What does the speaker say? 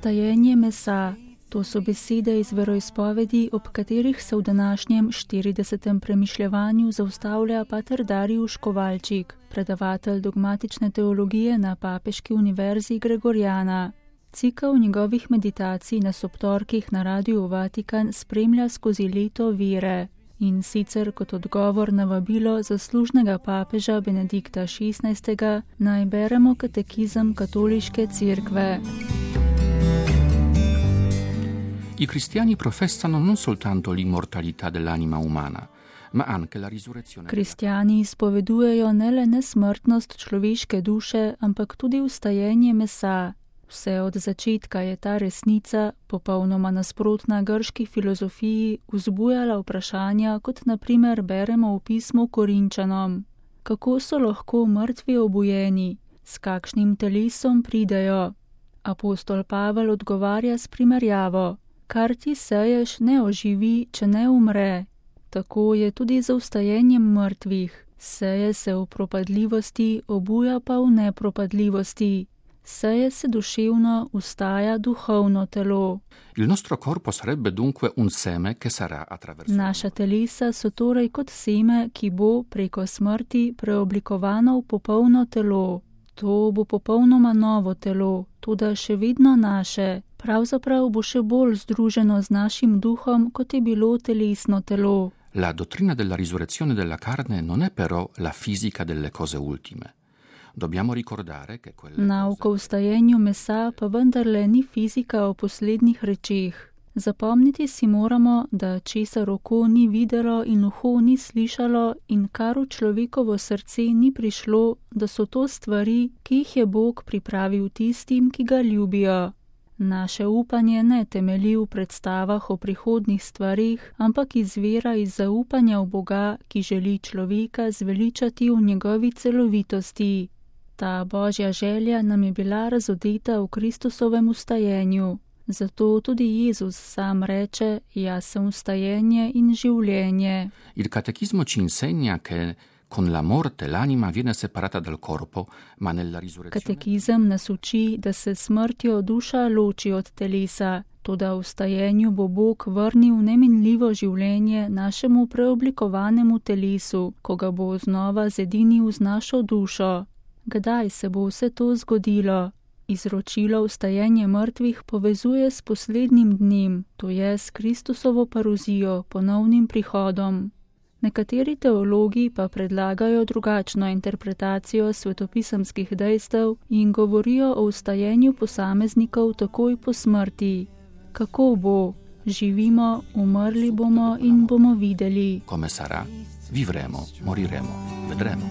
vstajenje mesa. To so besede iz veroizpovedi, ob katerih se v današnjem 40. premišljevanju zaustavlja pater Dariusz Kovalčik, predavatelj dogmatične teologije na Papeški univerzi Gregoriana. Cikel njegovih meditacij na sobtorkih na Radiu Vatikan spremlja skozi leto vere, in sicer kot odgovor na vabilo zaslužnega papeža Benedikta XVI. Naj beremo katekizem katoliške cerkve. I cristiani professano non soltanto l'immortalità dell'anima umana, ma anche la risurrezione. Kristjani izpovedujejo ne le nesmrtnost človeške duše, ampak tudi vstajenje mesa. Vse od začetka je ta resnica, popolnoma nasprotna grški filozofiji, vzbujala vprašanja, kot na primer beremo v pismu Korinčanom. Kako so lahko mrtvi obujeni? S kakšnim telesom pridejo? Apostol Pavel odgovarja s primerjavo. Kar ti seješ, ne oživi, če ne umre. Tako je tudi za vstajenjem mrtvih. Seje se v propadljivosti, obuja pa v nepropadljivosti. Seje se duševno, vstaja duhovno telo. Il nostro corpo sarebbe dunque un seme che sarà attraverso. Naša telesa so torej kot seme, ki bo preko smrti preoblikovano v popolno telo. To bo popolnoma novo telo, toda še vedno naše. Pravzaprav bo še bolj združeno z našim duhom, kot je bilo telesno telo. La dottrina della risurrezione della carne non è però la fisica delle cose ultime. Dobbiamo ricordare che quelle Nauka o vstajenju mesa pa vendarle ni fizika o poslednjih rečeh. Zapomniti si moramo, da česar oko ni videlo in uho ni slišalo in kar v človekovo srce ni prišlo, da so to stvari, ki jih je Bog pripravil tistim, ki ga ljubijo. Naše upanje ne temelji v predstavah o prihodnih stvarih, ampak izvira iz zaupanja v Boga, ki želi človeka zveličati v njegovi celovitosti. Ta božja želja nam je bila razodeta v Kristusovem vstajenju. Zato tudi Jezus sam reče, jaz sem vstajenje in življenje. Il catechismo ci insegna che con la morte l'anima viene separata dal corpo, ma nella risurrezione. Katekizem nas uči, da se smrtjo duša loči od telesa, toda v vstajenju bo Bog vrnil neminljivo življenje našemu preoblikovanemu telesu, ko ga bo znova zedinil z našo dušo. Kdaj se bo vse to zgodilo? Izročilo vstajenje mrtvih povezuje s poslednjim dnem, to je s Kristusovo paruzijo, ponovnim prihodom. Nekateri teologi pa predlagajo drugačno interpretacijo svetopisemskih dejstev in govorijo o vstajenju posameznikov takoj po smrti. Kako bo? Živimo, umrli bomo in bomo videli. Come sarà? Vivremo, moriremo, vedremo.